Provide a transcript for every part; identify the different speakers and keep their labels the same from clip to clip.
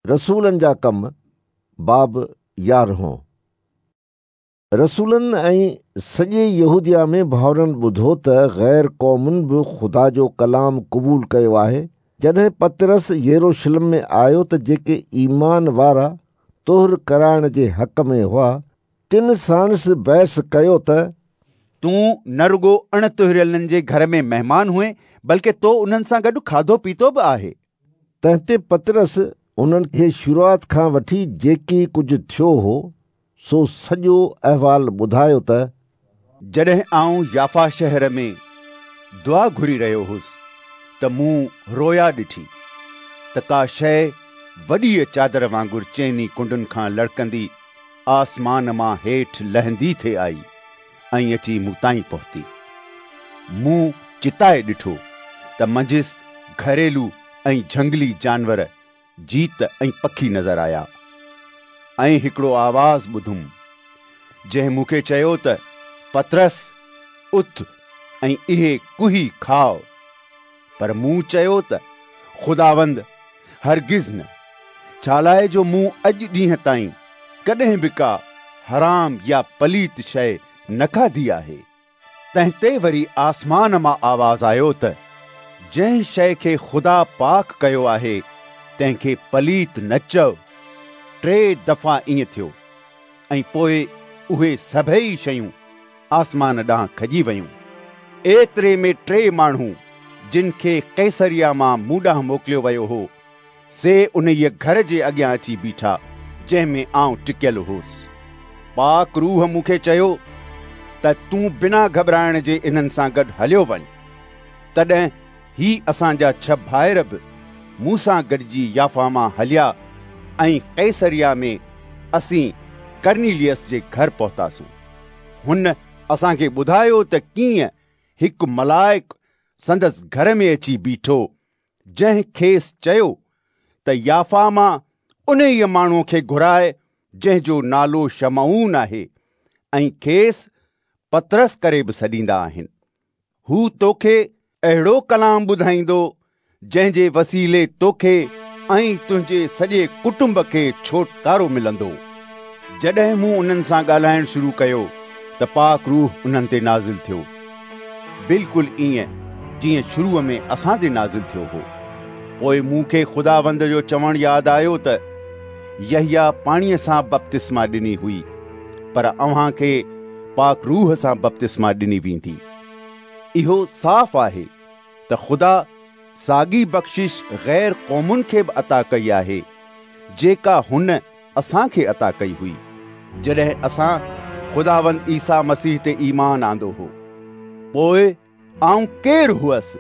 Speaker 1: رسولن جا ڪم، باب يارهون. رسولن ۽ سڄي يهوديه ۾ ڀائرن ٻڌو ته غير قومن به خدا جو ڪلام قبول ڪيو آهي. جڏهن پطرس يروشلم ۾ آيو ته جيڪي ايمان وارا طهر ڪرائڻ جي حق ۾ هئا، تن ساڻس بحث ڪيو ته.
Speaker 2: تون نه رڳو اڻ طهريلن جي گهر ۾ مهمان هئين، بلڪ تو انهن سان گڏ کاڌو پيتو به آهي.
Speaker 1: تنهن تي پطرس انهن کي شروعات کان وٺي جيڪي ڪجهه ٿيو هو، سو سڄو احوال ٻڌايو ته.
Speaker 2: جڏهن آئون يافا شهر ۾ دعا گهري رهيو هوس ته مون رويا ڏٺي ته ڪا شيء وڏيء چادر وانگر چئني ڪنڊن کان لڙڪندي آسمان مان هيٺ لهندي ٿي آئي ۽ اچي مون تائين پهتي. مون چتائي ڏٺو ته منجهس گهريلو ۽ جهنگلي جانور، جيت ۽ پکي نظر آيا. ۽ هڪڙو آواز ٻڌم، جنهن مون کي چيو ته پطرس، اٿ ۽ اهي ڪهي کاء. پر مون چيو ته خداوند، هرگز نه، ڇالاء جو مون اڄ ڏينهن تائين ڪڏهن به ڪا حرام يا پليت شيء نه کاڌي آهي. تنهن تي وري آسمان مان آواز آيو ته جنهن شيء کي خدا پاڪ ڪيو آهي، تنهن کي پليت نه چئو. ٽي دفعا ائين ٿيو ۽ پوء اهي سڀيئي شيون آسمان ڏانهن کڄي ويون. ايتري ۾ ٽي ماڻهو، جن کي قيصريه مان مون ڏانهن موڪليو ويو هو، سي انهيء گهر جي اڳيان اچي بيٺا، جنهن ۾ آئون ٽڪيل هوس. پاڪ روح مون کي چيو ته تون بنا گهٻرائڻ جي انهن سان گڏ هليو وڃ. تڏهن هي اسان جا ڇهه ڀائر به مون سان گڏجي يافا مان هليا ۽ قيصريه ۾ اسين ڪرنيليس جي گهر پهتاسون. هن اسان کي ٻڌايو ته ڪيئن هڪ ملائڪ سندس گهر ۾ اچي بيٺو جنهن کيس چيو ته يافا مان انهيء ماڻهوء کي گهراء جنهن جو نالو شمعون آهي ۽ کيس پطرس ڪري به سڏيندا آهن. هو توکي اهڙو ڪلام ٻڌائيندو جنهن جي وسيلي توکي ۽ تنهنجي سڄي ڪٽنب کي ڇوٽڪارو ملندو. جڏهن مون انهن سان ڳالهائڻ شروع ڪيو ته پاڪ روح انهن تي نازل ٿيو. بلڪل ائين جيئن شروع ۾ اسان تي نازل ٿيو هو. پوء مون کي خداوند جو چوڻ ياد آيو ته يحيٰ پاڻيء سان بپتسما ڏني هئي، پر اوهان کي پاڪ روح سان بپتسما ڏني ويندي. اهو صاف آهي ته خدا ساڳي بخشش غير قومن کي به عطا ڪئي آهي، جيڪا هن اسان کي عطا ڪئي هئي، جڏهن اسان خداوند عيسيٰ مسيح تي ايمان آندو هو. پوء آئون ڪير هئس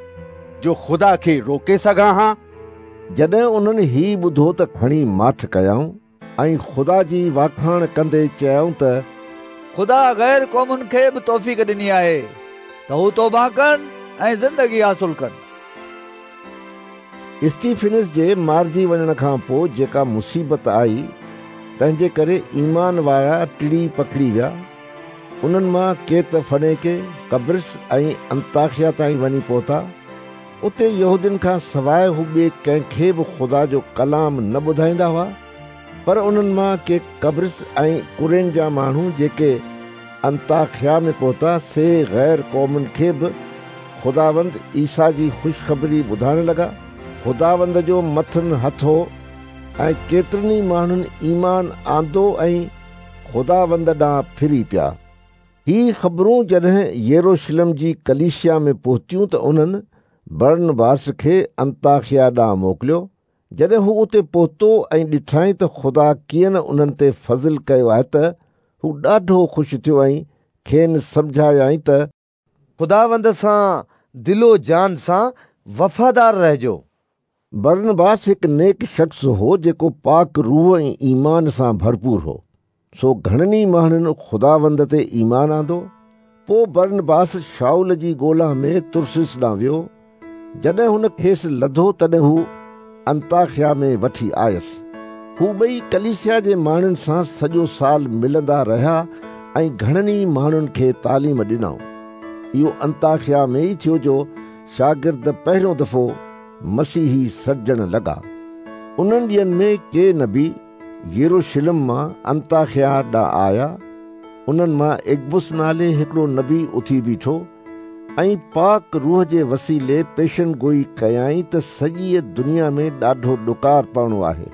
Speaker 2: جو خدا کي روڪي سگهان ها؟
Speaker 1: جڏهن انهن هي ٻڌو ته کڻي ماٺ ڪيائون ۽ خدا جي واکاڻ ڪندي چيائون ته.
Speaker 3: خدا غير قومن کي به توفيق ڏني آهي ته هو توبه ڪن ۽ زندگي حاصل ڪن.
Speaker 1: استيفنس جي مارجي وڃڻ کان پوء جيڪا مصيبت آئي، تنهن جي ڪري ايمان وارا ٽڙي پکڙي ويا. انهن مان ڪي ته فنيڪي، قبرص ۽ انطاخيه تائين وڃي پهتا. اتي يهودين کان سواء هو ٻئي ڪنهن کي به خدا جو ڪلام نه ٻڌائيندا هئا. پر انهن مان ڪي قبرص ۽ ڪرين جا ماڻهو جيڪي انطاخيه ۾ پهتا، سي غير قومن کي به خداوند عيسيٰ جي خوشخبري ٻڌائڻ لڳا. خداوند جو مٿن هٿ هو ۽ ڪيترن ئي ماڻهن ايمان آندو ۽ خداوند ڏانهن ڦري پيا. هي خبرون جڏهن يروشلم جي ڪليسيا ۾ پهتيون ته انهن برنباس کي انطاخيه ڏانهن موڪليو. جڏهن هو اتي پهتو ۽ ڏٺائين ته خدا ڪيئن نه انهن تي فضل ڪيو آهي ته هو ڏاڍو خوش ٿيو ۽ کين سمجهايائين ته.
Speaker 4: خداوند سان دل و جان سان وفادار رهجو.
Speaker 1: برنباس هڪ نيڪ شخص هو جيڪو پاڪ روح ۽ ايمان سان ڀرپور هو. سو گهڻن ئي ماڻهن خداوند تي ايمان آندو. پوء برنباس شائول جي ڳولا ۾ ترسيس ڏانهن ويو. جڏهن هن کيس لڌو تڏهن هو انطاخيا ۾ وٺي آيس. هو ٻئي ڪليسيا جي ماڻهن سان سڄو سال ملندا رهيا ۽ گهڻن ئي ماڻهن کي تعليم ڏنائون. اهو انطاخيا ۾ ئي ٿيو جو شاگرد پهريون دفعو مسيحي سڏجڻ لڳا. انهن ڏينهن ۾ ڪي نبي يروشلم مان انطاخيا ڏانهن آيا. انهن مان اگبس نالي هڪڙو نبي اٿي بيٺو ۽ پاڪ روح جي وسيلي پيشن گوئي ڪيائين ته سڄيء دنيا ۾ ڏاڍو ڏڪار پوڻو آهي.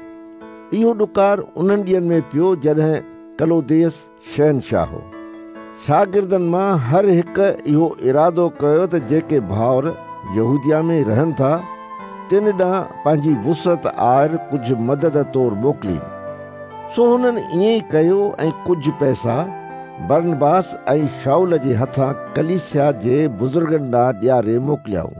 Speaker 1: اهو ڏڪار انهن ڏينهن ۾ پيو جڏهن ڪلوديس شهنشاهه هو. شاگردن مان هر هڪ اهو ارادو ڪيو ته جيڪي ڀائر يهوديه ۾ رهن ٿا، تن ڏانهن پنهنجي وسعت آهر ڪجهه مدد طور موڪلين. سو هنن ائين ئي ڪيو ۽ ڪجهه پئسا برنباس ۽ شائول جي هٿان ڪليسيا جي بزرگن ڏانهن ڏياري موڪليائون.